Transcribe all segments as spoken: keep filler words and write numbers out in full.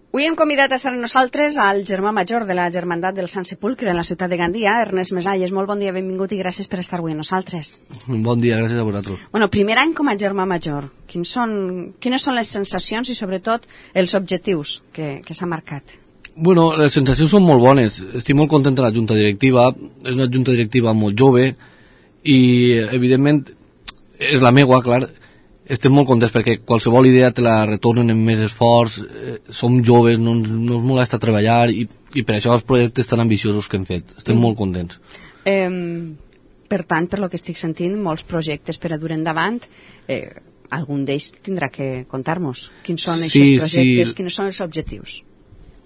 Avui hem convidat a estar amb nosaltres al germà major de la Germandat del Sant Sepulcre en la ciutat de Gandia, Ernest Mesalles. Molt bon dia, benvingut i gràcies per estar avui amb nosaltres. Bon dia, gràcies a vosaltres. Bueno, primer any com a germà major. Quins són, quines són les sensacions i sobretot els objectius que, que s'ha marcat? Bueno, les sensacions són molt bones. Estic molt content de la junta directiva. És una junta directiva molt jove i, evidentment, és la meua, clar. Estem molt contents perquè qualsevol idea te la retornen amb més esforç, eh, som joves, no ens, no ens molesta treballar i, i per això els projectes tan ambiciosos que hem fet. Estem mm. molt contents. Eh, per tant, per lo que estic sentint, molts projectes per a dur endavant, eh, algun d'ells tindrà que contar-nos. Quins són aquests sí, projectes, sí. Quins són els objectius?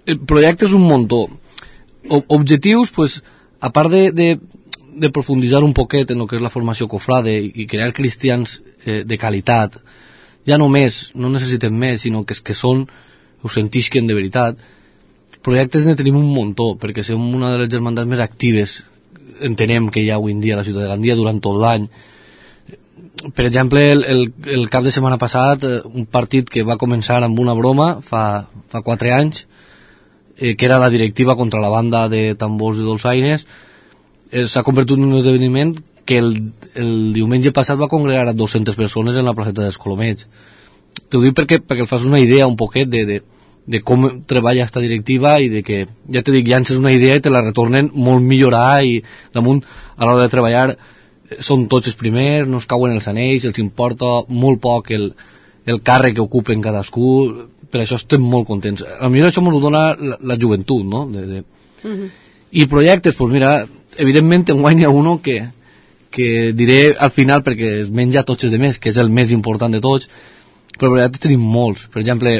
El projecte és un muntó. O, objectius, pues, a part de... de de profunditzar un poquet en el que és la formació cofrade i crear cristians eh, de qualitat, ja no més, no necessitem més, sinó que és que són, ho sentisquen de veritat. Projectes ne tenim un muntó, perquè som una de les germandats més actives, entenem que hi ha avui en dia a la ciutat de Gandia durant tot l'any. Per exemple, el, el, el cap de setmana passat, un partit que va començar amb una broma fa, fa quatre anys, eh, que era la directiva contra la banda de tambors i dolçaines, s'ha convertit en un esdeveniment que el, el diumenge passat va congregar a dues-centes persones en la placeta dels Colomets. T'ho dic perquè, perquè el fas una idea un poquet de, de, de com treballa esta directiva i de que, ja te dic, llances una idea i te la retornen molt millorar i damunt a l'hora de treballar són tots els primers, no es cauen els anells, els importa molt poc el, el càrrec que ocupen cadascú, per això estem molt contents. A millor això ens ho dona la, la joventut, no? De, de... Uh-huh. I projectes, doncs mira, evidentment en guanya uno que, que diré al final perquè es menja tots els demés, que és el més important de tots, però en veritat tenim molts. Per exemple,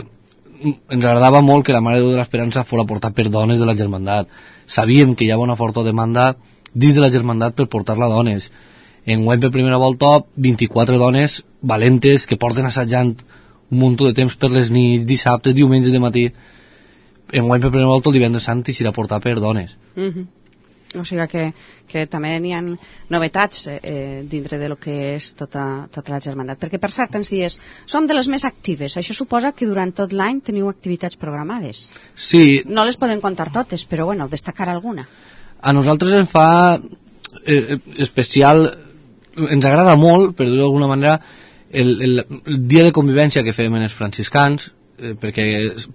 ens agradava molt que la Mare de Déu de l'Esperança fos portat per dones de la germandat. Sabíem que hi havia una forta demanda dins de la germandat per portar-la a dones. Enguany per primera volta vint-i-quatre dones valentes que porten assajant un munt de temps per les nits, dissabtes, diumenges de matí. Enguany per primera volta el divendres sant i s'irà portat per dones. Mhm. O sigui que, que també n'hi ha novetats eh, dintre de lo que és tota, tota la germandat. Perquè, per cert, ens dies, som de les més actives. Això suposa que durant tot l'any teniu activitats programades. Sí. No les podem contar totes, però, bueno, destacar alguna. A nosaltres ens fa eh, especial, ens agrada molt, per dir-ho d'alguna manera, el, el, el dia de convivència que fem en els franciscans, eh, perquè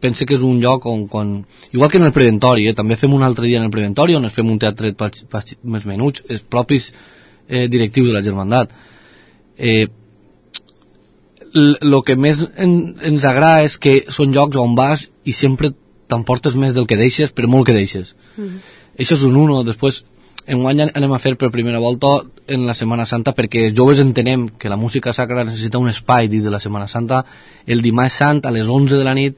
pense que és un lloc on, quan, igual que en el preventori, eh, també fem un altre dia en el preventori on es fem un teatret pas, pas, més menuts, els propis eh, directius de la germandat. Eh, el que més en, ens agrada és que són llocs on vas i sempre t'emportes més del que deixes, per molt que deixes. Mm-hmm. Això és un uno. Després, enguany anem a fer per primera volta en la Setmana Santa, perquè els joves entenem que la música sacra necessita un espai dins de la Setmana Santa. El dimarts sant a les onze de la nit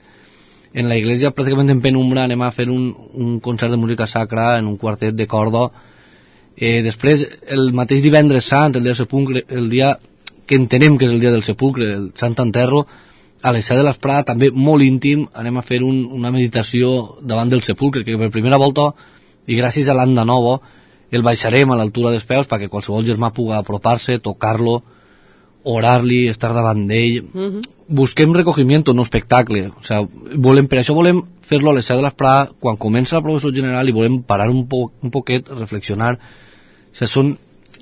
en la iglesia pràcticament en penumbra anem a fer un, un concert de música sacra en un quartet de corda. Eh, després el mateix divendres sant, el dia del sepulcre, el dia que entenem que és el dia del sepulcre, el Sant Enterro, a les set de l'esprada, també molt íntim, anem a fer un, una meditació davant del sepulcre, que per primera volta i gràcies a l'Anda Nova el baixarem a l'altura dels peus perquè qualsevol germà pugui apropar-se, tocar-lo, orar-li, estar davant d'ell. Uh-huh. Busquem recogimiento, no espectacle. O sea, volem, per això volem fer-lo a les set de l'esprada, quan comença la professor general, i volem parar un, po un poquet, reflexionar. O sea, són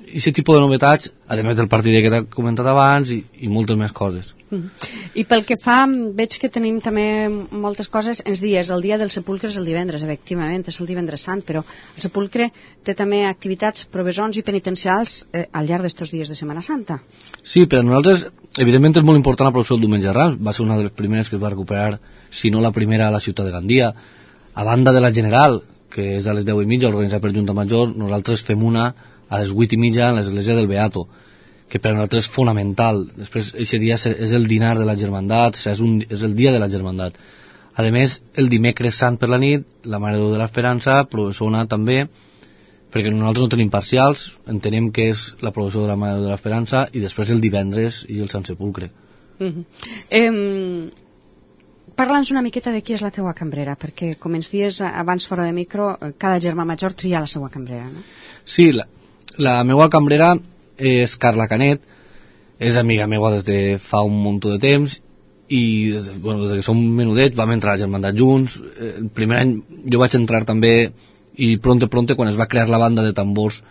aquest tipus de novetats, a més del partit que t'he comentat abans, i, i moltes més coses. Mm. I pel que fa, veig que tenim també moltes coses, ens dies, el dia del sepulcre és el divendres, efectivament, és el divendres sant, però el sepulcre té també activitats, provesons i penitencials eh, al llarg d'estos dies de Setmana Santa. Sí, per a nosaltres, evidentment és molt important la processó del diumenge de Rams, va ser una de les primeres que es va recuperar, si no la primera a la ciutat de Gandia. A banda de la general, que és a les deu i mitja, organitzada per Junta Major, nosaltres fem una a les vuit i mitja en l'església del Beato, que per a nosaltres és fonamental. Després, aquest dia és el dinar de la germandat, o sigui, és, un, és el dia de la germandat. A més, el dimecres sant per la nit, la Mare de Déu de l'Esperança, professona també, perquè nosaltres no tenim parcials, entenem que és la professó de la Mare de Déu de l'Esperança, i després el divendres i el Sant Sepulcre. Uh-huh. eh, Parla'ns una miqueta de qui és la teua cambrera, perquè, com ens dies abans fora de micro, cada germà major tria la seva cambrera, no? Sí, la, la meva cambrera és Carla Canet, és amiga meva des de fa un munt de temps i des, de, bueno, des que som menudets vam entrar a la germandat junts. El primer any jo vaig entrar també i pronte pronte quan es va crear la banda de tambors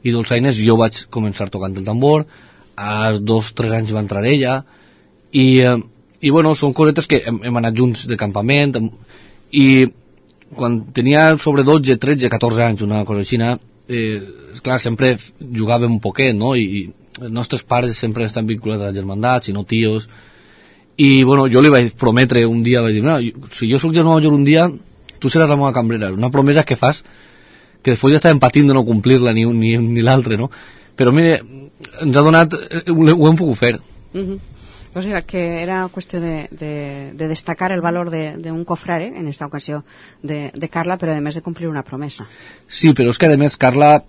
i dolçaines jo vaig començar tocant el tambor. Als dos tres anys va entrar ella i, eh, i bueno, són cosetes que hem, hem anat junts de campament i quan tenia sobre dotze, tretze, catorze anys, una cosa així, eh, esclar, sempre jugàvem un poquet, no? I, i els nostres pares sempre estan vinculats a la germandat, si no tios. I bueno, jo li vaig prometre un dia, vaig dir, no, si jo soc germà major un dia, tu seràs la meva cambrera. Una promesa que fas que després ja estàvem patint de no complir-la ni un ni, ni l'altre, no? Però mire, ens ha donat, ho hem pogut fer. Uh-huh. O sigui que era qüestió de, de, de destacar el valor d'un cofrare, en esta ocasió de, de Carla, però a més de complir una promesa. Sí, però és que a més Carla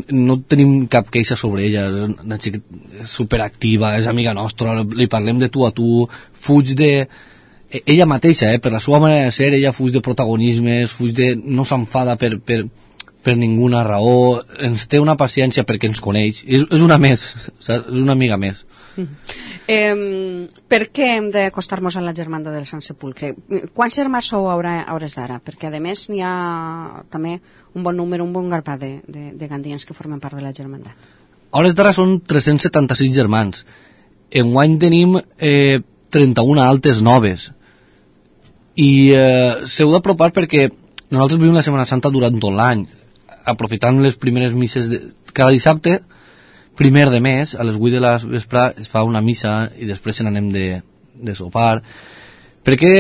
no tenim cap queixa sobre ella, és una xica superactiva, és amiga nostra, li parlem de tu a tu, fuig de... Ella mateixa, eh, per la seva manera de ser, ella fuig de protagonismes, fuig de... no s'enfada per, per, per ninguna raó, ens té una paciència perquè ens coneix, és, és una més, saps? És una amiga més. Mm. Eh, per què hem d'acostar-nos a la germanda del Sant Sepulcre? Quants germans sou a hores d'ara? Perquè a més n'hi ha també un bon número, un bon grapat de, de, de gandians que formen part de la germandat. A hores d'ara són tres-cents setanta-sis germans. Enguany tenim eh, trenta-una altes noves. I eh, s'heu d'apropar perquè nosaltres vivim la Setmana Santa durant tot l'any, aprofitant les primeres misses de cada dissabte. Primer de mes, a les vuit de la vespre es fa una missa i després se n'anem de, de sopar. Per què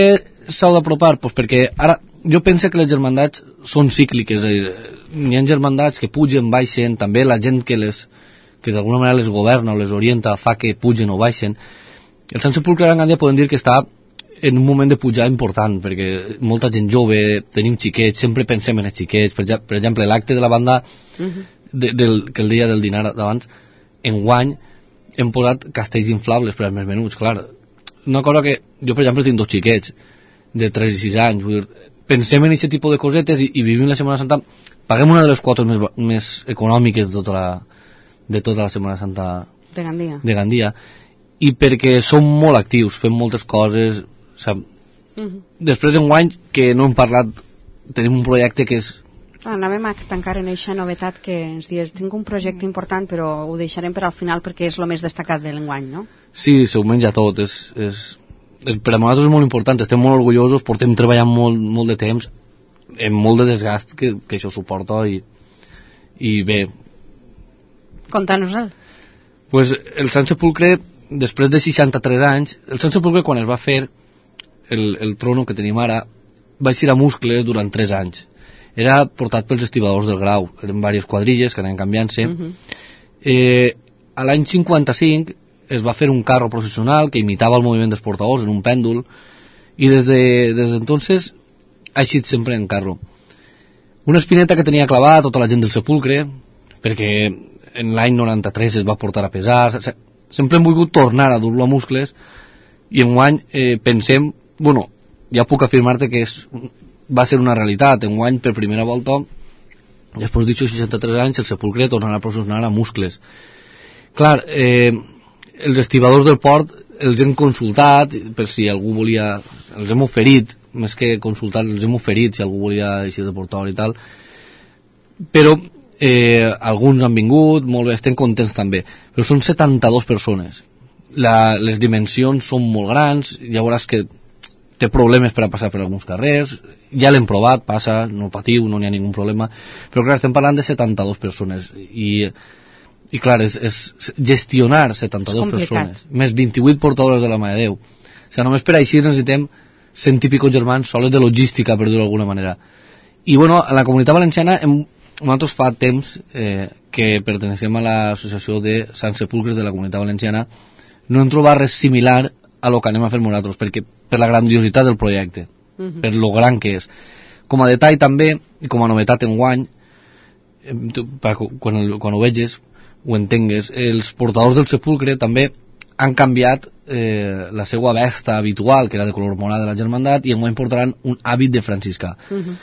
s'heu d'apropar? Pues perquè ara jo penso que les germandats són cícliques, és a dir, hi ha germandats que pugen, baixen, també la gent que les que d'alguna manera les governa o les orienta fa que pugen o baixen. El Sant Sepulcre de Gandia podem dir que està en un moment de pujar important, perquè molta gent jove, tenim xiquets, sempre pensem en els xiquets, per, per exemple, l'acte de la banda uh-huh. de, del, que el dia del dinar d'abans, enguany hem posat castells inflables per als més menuts, clar. Una cosa que jo, per exemple, tinc dos xiquets de tres i sis anys, vull dir, pensem en aquest tipus de cosetes i, i vivim la Setmana Santa, paguem una de les quotes més, més econòmiques de tota la, de tota la Setmana Santa de Gandia. de Gandia, i perquè som molt actius, fem moltes coses, sap? Uh-huh. Després d'enguany, que no hem parlat, tenim un projecte que és... Ah, anàvem a tancar en aquesta novetat que ens dius, tinc un projecte important però ho deixarem per al final perquè és el més destacat de l'enguany, no? Sí, se ho menja tot, és, és, és, per a nosaltres és molt important, estem molt orgullosos, portem treballant molt, molt de temps, amb molt de desgast que, que això suporta i, i bé. Conta-nos-el. Pues el Sant Sepulcre, després de seixanta-tres anys, el Sant Sepulcre quan es va fer el, el trono que tenim ara, va eixir a Muscles durant tres anys. Era portat pels estibadors del Grau, eren diverses quadrilles que anaven canviant-se. Uh-huh. eh, a l'any cinquanta-cinc es va fer un carro processional que imitava el moviment dels portadors en un pèndol i des de, des d'entonces ha eixit sempre en carro. Una espineta que tenia clavada tota la gent del Sepulcre, perquè en l'any noranta-tres es va portar a pesar, sempre hem volgut tornar a dur-lo a Muscles i enguany eh, pensem, bueno, ja puc afirmar-te que és... va ser una realitat, enguany per primera volta després d'això seixanta-tres anys el Sepulcre tornarà a processionar a Muscles. Clar, eh, els estibadors del port els hem consultat per si algú volia, els hem oferit més que consultar, els hem oferit si algú volia eixir de portador i tal, però eh, alguns han vingut, molt bé, estem contents també, però són setanta-dues persones, la, les dimensions són molt grans, ja veuràs que té problemes per a passar per alguns carrers, ja l'hem provat, passa, no patiu, no n'hi ha ningun problema, però clar, estem parlant de setanta-dues persones i, i clar, és, és gestionar setanta-dues persones, més vint-i-vuit portadores de la Mare de Déu, o sigui, només per així necessitem cent i pico germans soles de logística, per dir-ho d'alguna manera. I bueno, a la Comunitat Valenciana hem, nosaltres fa temps eh, que pertenecem a l'associació de Sant Sepulcres de la Comunitat Valenciana, no hem trobat res similar a lo que anem a fer nosaltres, perquè per la grandiositat del projecte, uh-huh. per lo gran que és. Com a detall també, i com a novetat enguany, quan, el, quan ho veges, ho entengues, els portadors del Sepulcre també han canviat eh, la seva vesta habitual, que era de color morada de la germandat, i enguany portaran un hàbit de franciscà. Uh-huh.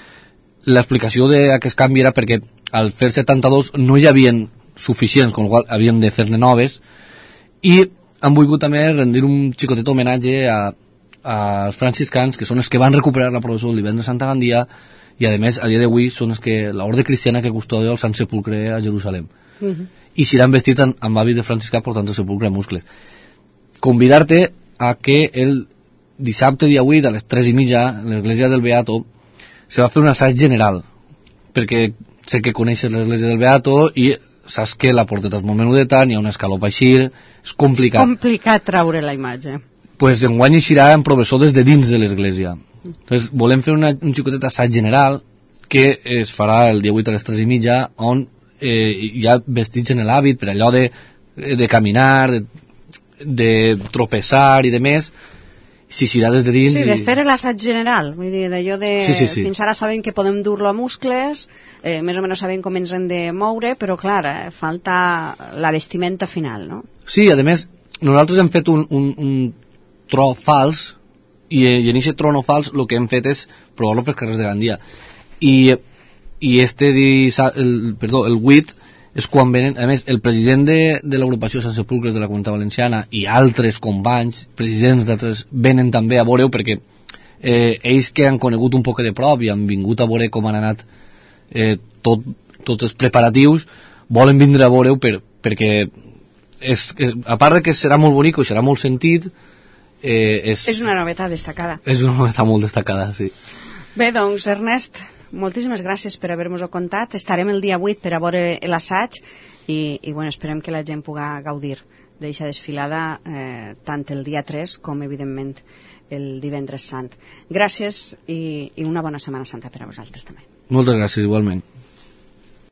L'explicació d'aquest canvi era perquè al fer setanta-dos no hi havien suficients, amb la qual havien de fer-ne noves, i han volgut també rendir un xicotet homenatge a als franciscans, que són els que van recuperar la processó del divendres Sant a Gandia, i a més a dia d'avui són els que l'orde cristiana que custodia el Sant Sepulcre a Jerusalem. Uh -huh. I si l'han vestit amb, amb hàbit de franciscà portant el sepulcre a muscles. Convidar-te a que el dissabte dia vuit a les tres i mitja a l'església del Beato se va fer un assaig general, perquè sé que coneixes l'església del Beato i saps que la porteta és molt menudeta, n'hi ha un escaló per eixir, és complicat. És complicat treure la imatge. Pues enguany eixirà en professor des de dins de l'església. Entonces, volem fer una, un xicotet assaig general que es farà el dia vuit a les tres i mitja, on eh, hi ha vestits en l'hàbit per allò de, de caminar, de, de tropeçar i de més, si s'irà des de dins... Sí, de i... fer l'assaig general, vull dir, d'allò de... Sí, sí, sí. Fins ara sabem que podem dur-lo a muscles, eh, més o menys sabem com ens hem de moure, però clar, eh, falta la vestimenta final, no? Sí, a més, nosaltres hem fet un, un, un tro fals, i, i en aquest tro no fals el que hem fet és provar-lo pels carrers de Gandia. I, i este, el, perdó, el vuit, és quan venen, a més, el president de, de l'agrupació Sant Sepulcres de la Comunitat Valenciana i altres companys, presidents d'altres, venen també a veure-ho perquè eh, ells que han conegut un poc de prop i han vingut a veure com han anat eh, tot, tots els preparatius, volen vindre a veure-ho per, perquè és, és, a part de que serà molt bonic i serà molt sentit, eh, és, és una novetat destacada. És una novetat molt destacada, sí. Bé, doncs, Ernest, moltíssimes gràcies per haver-nos-ho contat. Estarem el dia vuit per a veure l'assaig i, i bueno, esperem que la gent pugui gaudir d'aquesta desfilada eh, tant el dia tres com, evidentment, el divendres sant. Gràcies i, i una bona Setmana Santa per a vosaltres també. Moltes gràcies, igualment.